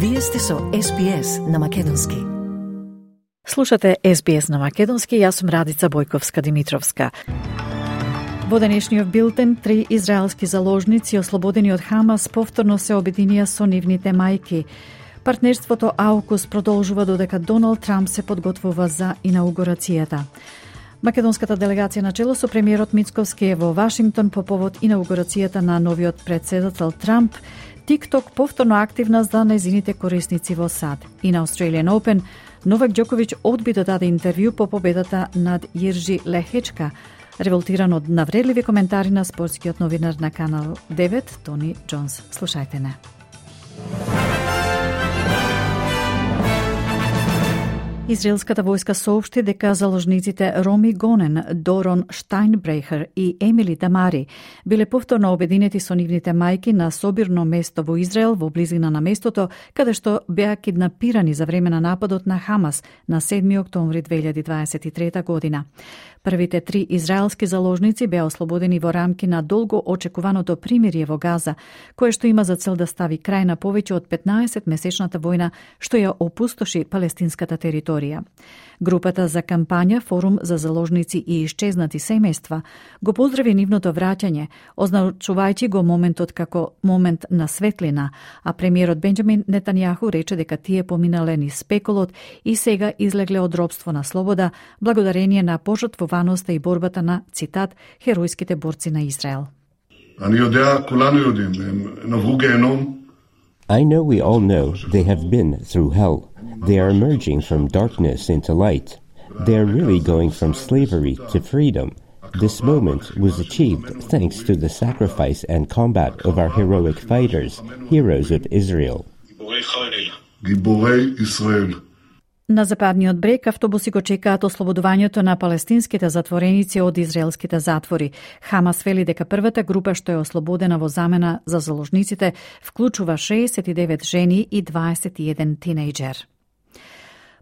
Вие сте со SBS на Македонски. Слушате SBS на Македонски, јас сум Радица Бојковска-Димитровска. Во денешниот билтен, 3 израелски заложници ослободени од Хамас повторно се обединија со нивните мајки. Партнерството AUKUS продолжува додека Доналд Трамп се подготвува за инаугурацијата. Македонската делегација на чело со премиерот Мицковски е во Вашингтон по повод инаугурацијата на новиот претседател Трамп. TikTok повторно активна за нејзините корисници во САД. И на Australian Open, Новак Џоковиќ одби да даде интервју по победата над Јиржи Лехечка, револтиран од навредливи коментари на спортскиот новинар на Канал 9, Тони Џонс. Слушајте не. Израелската војска соопшти дека заложниците Роми Гонен, Дорон Штајнбрехер и Емили Дамари биле повторно обединети со нивните мајки на собирно место во Израел во близина на местото каде што беа киднапирани за време на нападот на Хамас на 7 октомври 2023 година. Првите 3 израелски заложници беа ослободени во рамки на долго очекуваното примирие во Газа, кое што има за цел да стави крај на повеќе од 15-месечната војна што ја опустоши палестинската територија. Групата за кампања Форум за заложници и исчезнати семејства го поздрави нивното враќање, означувајќи го моментот како момент на светлина, а премиерот Бенџамин Нетањаху рече дека тие поминале низ спекулот и сега излегле од робство на слобода, благодарение на пожртвуваноста и борбата на, цитат, херојските борци на Израел. I know we all know they have been through hell. They are emerging from darkness into light. They are really going from slavery to freedom. This moment was achieved thanks to the sacrifice and combat of our heroic fighters, heroes of Israel. На западниот брег автобуси го чекаат ослободувањето на палестинските затвореници од израелските затвори. Хамас вели дека првата група што е ослободена во замена за заложниците вклучува 69 жени и 21 тинејџер.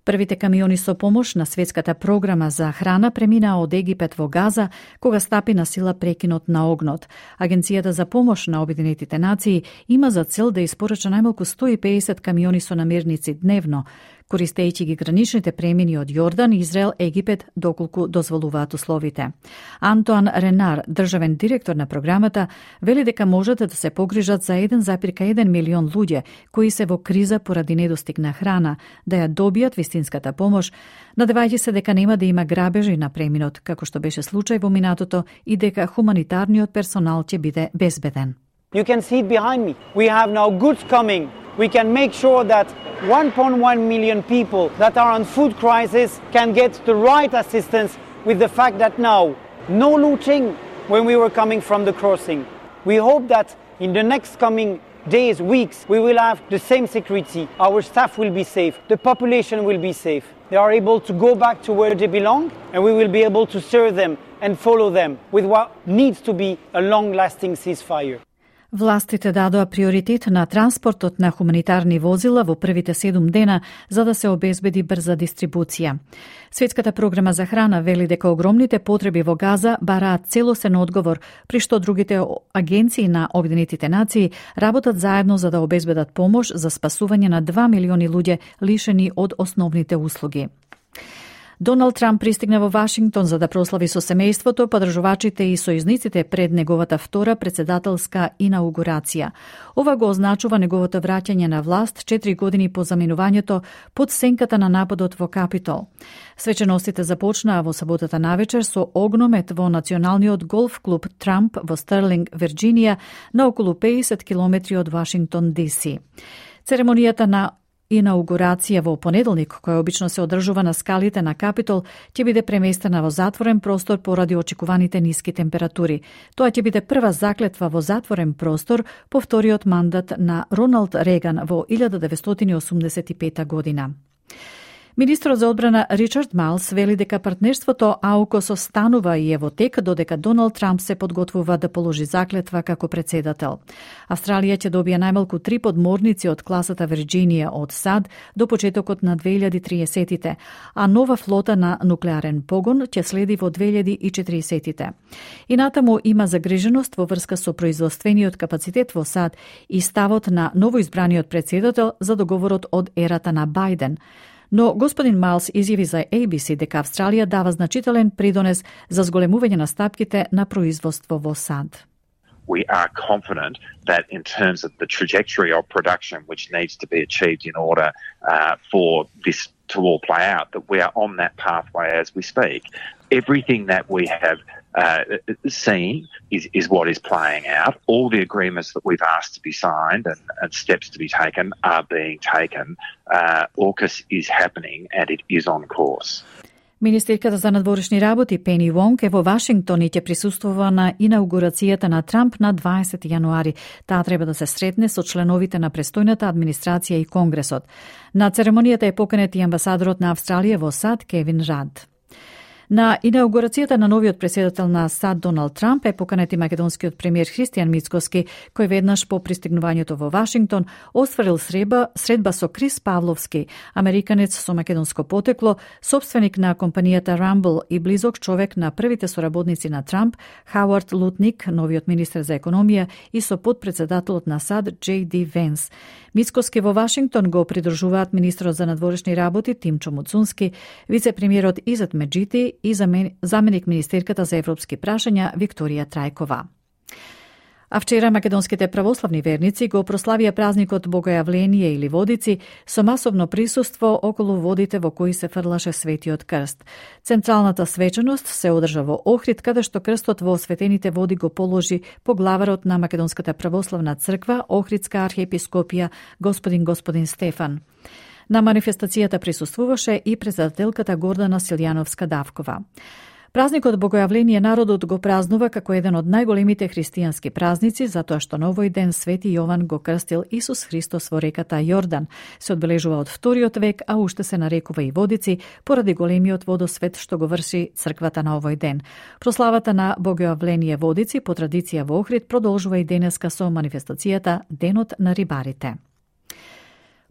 Првите камиони со помош на светската програма за храна преминаа од Египет во Газа, кога стапи на сила прекинот на огнот. Агенцијата за помош на Обединетите нации има за цел да испорача најмалку 150 камиони со намирници дневно, користејќи ги граничните премини од Јордан, Израел, Египет, доколку дозволуваат условите. Антоан Ренар, државен директор на програмата, вели дека можат да се погрижат за 1,1 милион луѓе кои се во криза поради недостиг на храна, да ја добијат вистинската помош, надевајќи се дека нема да има грабежи на преминот, како што беше случај во минатото, и дека хуманитарниот персонал ќе биде безбеден. You can see it behind me. We have now goods coming. We can make sure that 1.1 million people that are on food crisis can get the right assistance with the fact that now no looting when we were coming from the crossing. We hope that in the next coming days, weeks, we will have the same security. Our staff will be safe. The population will be safe. They are able to go back to where they belong, and we will be able to serve them and follow them with what needs to be a long-lasting ceasefire. Властите дадоа приоритет на транспортот на хуманитарни возила во првите 7 дена за да се обезбеди брза дистрибуција. Светската програма за храна вели дека огромните потреби во Газа бараат целосен одговор, при што другите агенции на Обединетите нации работат заедно за да обезбедат помош за спасување на 2 милиони луѓе лишени од основните услуги. Доналд Трамп пристигна во Вашингтон за да прослави со семејството, подржувачите и сојузниците пред неговата втора претседателска инаугурација. Ова го означува неговото враќање на власт 4 години по заминувањето под сенката на нападот во Капитол. Свеченостите започнаа во саботата навечер со огномет во националниот голф клуб Трамп во Стерлинг, Вирџинија, на околу 50 километри од Вашингтон, ДС. Церемонијата на инаугурација во понеделник, која обично се одржува на скалите на Капитол, ќе биде преместена во затворен простор поради очекуваните ниски температури. Тоа ќе биде прва заклетва во затворен простор по вториот мандат на Роналд Реган во 1985 година. Министрот за одбрана Ричард Малс вели дека партнерството АУКОС останува и е во тек додека Доналд Трамп се подготвува да положи заклетва како председател. Австралија ќе добие најмалку 3 подморници од класата Вирџинија од САД до почетокот на 2030-тите, а нова флота на нуклеарен погон ќе следи во 2040-тите. И натаму има загриженост во врска со производствениот капацитет во САД и ставот на новоизбраниот председател за договорот од ерата на Бајден. Но господин Малс изјави за ABC дека Австралија дава значителен придонес за зголемување на стапките на производство во САД. We are confident that in terms of the trajectory of production which needs to be achieved in order for this to all play out, that we are on that pathway as we speak. Everything that we have seen is what is playing out. All the agreements that we've asked to be signed and steps to be taken are being taken. AUKUS is happening and it is on course. Министерката за надворешни работи Пени Вонг е во Вашингтон и ќе присуствува на инаугурацијата на Трамп на 20 јануари. Таа треба да се сретне со членовите на престојната администрација и Конгресот. На церемонијата е поканет и амбасадорот на Австралија во САД Кевин Рад. На инаугурацијата на новиот председател на САД Доналд Трамп е поканет и македонскиот премиер Христијан Мицкоски, кој веднаш по пристигнувањето во Вашингтон остварил средба со Крис Павловски, американец со македонско потекло, собственик на компанијата Rumble и близок човек на првите соработници на Трамп, Хауард Лутник, новиот министер за економија, и со подпредседателот на САД J.D. Венс. Мицкоски во Вашингтон го придржуваат министрот за надворешни работи Тимчо Муцунски, вице-премиерот Изет Меджити и заменик министерката за европски прашања Викторија Трајкова. А вчера македонските православни верници го прославија празникот Богојавление или Водици со масовно присуство околу водите во кои се фрлаше Светиот крст. Централната свеченост се одржа во Охрид, каде што крстот во осветените води го положи поглаварот на Македонската православна црква, Охридска архиепископија, господин Стефан. На манифестацијата присуствуваше и председателката Гордана Силјановска-Давкова. Празникот Богојавление народот го празнува како еден од најголемите христијански празници, затоа што на овој ден Свети Јован го крстил Исус Христос во реката Јордан. Се одбележува од 2 век, а уште се нарекува и Водици, поради големиот водосвет што го врши црквата на овој ден. Прославата на Богојавление Водици по традиција во Охрид продолжува и денеска со манифестацијата Денот на рибарите.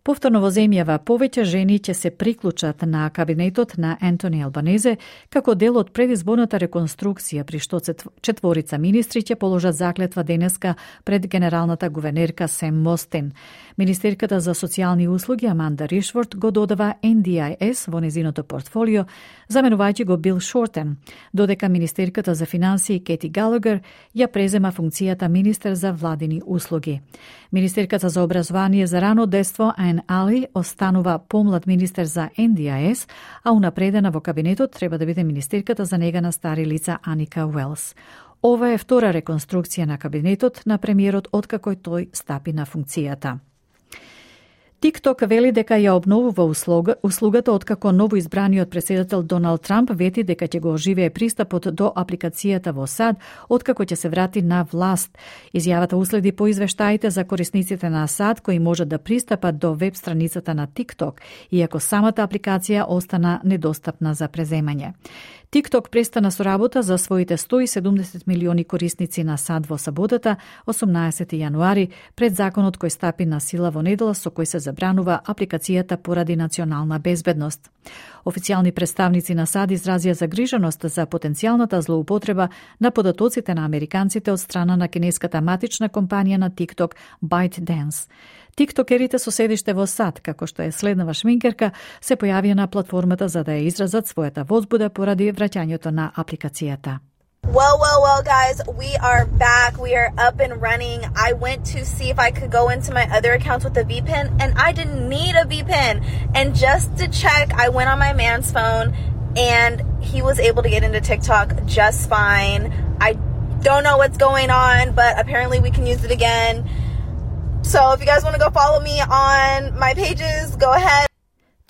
Повторно во земјава повеќе жени ќе се приклучат на кабинетот на Ентони Албанезе како дел од предизборната реконструкција, при што четворица министри ќе положат заклетва денеска пред генералната гувернерка Сем Мостин. Министерката за социјални услуги Аманда Ришворт го додава NDIS во незиното портфолио, заменувајќи го Бил Шортен, додека министерката за финансии Кети Галагер ја презема функцијата министер за владини услуги. Министерката за образование за рано детство Айн Али останува помлад министер за NDIS, а унапредена во кабинетот треба да биде министерката за нега на стари лица Аника Уелс. Ова е втора реконструкција на кабинетот на премиерот откако тој стапи на функцијата. TikTok вели дека ја обновува услугата откако новоизбраниот председател Доналд Трамп вети дека ќе го оживее пристапот до апликацијата во САД откако ќе се врати на власт. Изјавата уследи по извештаите за корисниците на САД кои можат да пристапат до веб страницата на TikTok, иако самата апликација остана недостапна за преземање. TikTok престана со работа за своите 170 милиони корисници на САД во саботата, 18 јануари, пред законот кој стапи на сила во недела со кој се забранува апликацијата поради национална безбедност. Официјални представници на САД изразија загриженост за потенцијалната злоупотреба на податоците на американците од страна на кинеската матична компанија на TikTok ByteDance. Тиктокерите со седиште во САД, како што е следнава шминкерка, се појавија на платформата за да ја изразат својата возбуда поради враќањето на апликацијата. Well, guys, we are back. We are up and running. I went to see if I could go into my other accounts with a VPN, and I didn't need a VPN. And just to check, I went on my man's phone, and he was able to get into TikTok just fine. I don't know what's going on, but apparently we can use it again. So if you guys want to go follow me on my pages, go ahead.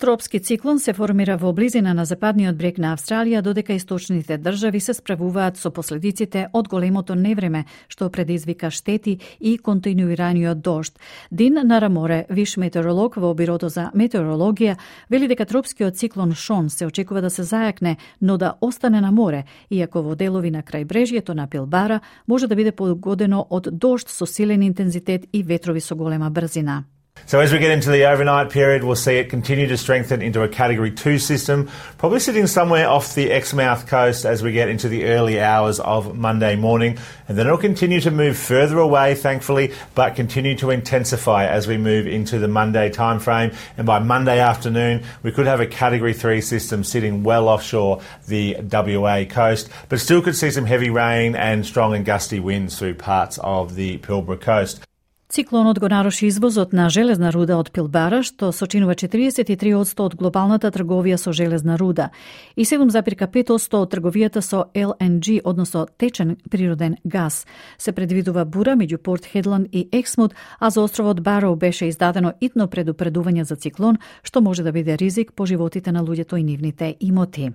Тропски циклон се формира во близина на западниот брег на Австралија, додека источните држави се справуваат со последиците од големото невреме, што предизвика штети и континуираниот дожд. Дин Нараморе, виш метеоролог во Бирото за метеорологија, вели дека тропскиот циклон Шон се очекува да се зајакне, но да остане на море, иако во делови на крајбрежјето на Пилбара може да биде погодено од дожд со силен интензитет и ветрови со голема брзина. So as we get into the overnight period, we'll see it continue to strengthen into a Category 2 system, probably sitting somewhere off the Exmouth coast as we get into the early hours of Monday morning. And then it'll continue to move further away, thankfully, but continue to intensify as we move into the Monday timeframe. And by Monday afternoon, we could have a Category 3 system sitting well offshore the WA coast, but still could see some heavy rain and strong and gusty winds through parts of the Pilbara coast. Циклонот го наруши извозот на железна руда од Пилбара, што сочинува 43% од глобалната трговија со железна руда и 7,5% од трговијата со LNG, односно течен природен газ. Се предвидува бура меѓу Порт Хедланд и Ексмут, а за островот Бароу беше издадено итно предупредување за циклон, што може да биде ризик по животите на луѓето и нивните имоти.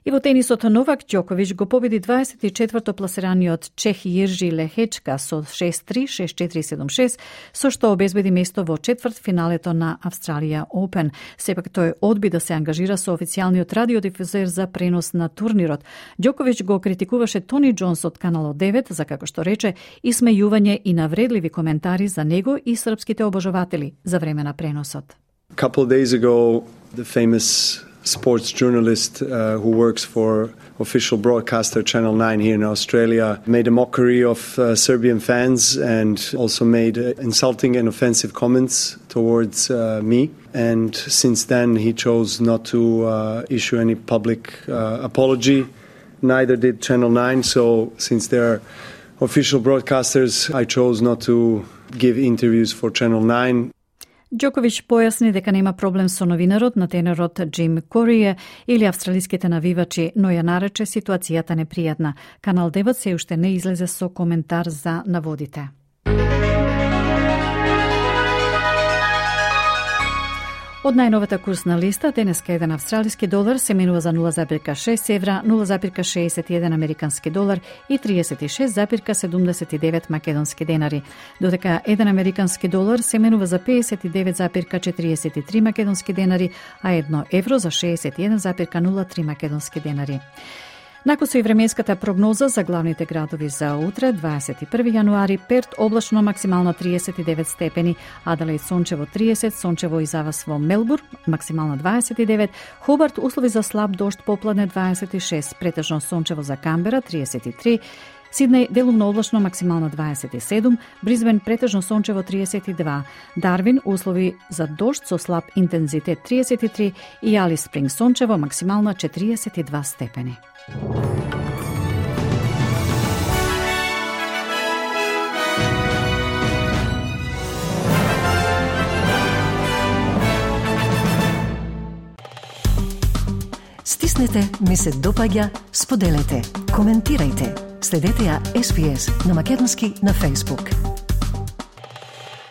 И во тенисот Новак Ѓоковиќ го победи 24-то пласираниот Чех Јиржи Лехечка со 6-3, 6-4, 7-6, со што обезбеди место во четвртфиналето на Австралија Open. Сепак тој одби да се ангажира со официјалниот радиодифузер за пренос на турнирот. Ѓоковиќ го критикуваше Тони Џонс од Каналот 9 за, како што рече, исмејување и навредливи коментари за него и српските обожаватели за време на преносот. A couple of days ago, the famous sports journalist who works for official broadcaster Channel 9 here in Australia made a mockery of Serbian fans and also made insulting and offensive comments towards me. And since then he chose not to issue any public apology. Neither did Channel 9. So since they're official broadcasters, I chose not to give interviews for Channel 9. Ѓоковиќ појасни дека нема проблем со новинарот на тенорот Джим Корие или австралиските навивачи, но ја нарече ситуацијата непријатна. Канал 9 се уште не излезе со коментар за наводите. Од најновата курсна листа, денеска еден австралиски долар се менува за 0,6 евра, 0,61 американски долар и 36,79 македонски денари, додека еден американски долар се менува за 59,43 македонски денари, а 1 евро за 61,03 македонски денари. Накусо и временската прогноза за главните градови за утре, 21 јануари, Перт облачно максимална 39 степени, Аделаид сончево 30, сончево и завас во Мелбурн, максимална 29, Хобарт услови за слаб дожд попладне 26, претежно сончево за Камбера 33, Сиднеј делумно облачно максимално 27, Бризбен претежно сончево 32, Дарвин услови за дожд со слаб интензитет 33 и Алис Спринг сончево максимална 42 степени. Стиснете, ми се допаѓа, споделете, коментирајте. Следете ја SPS на Македонски на Facebook.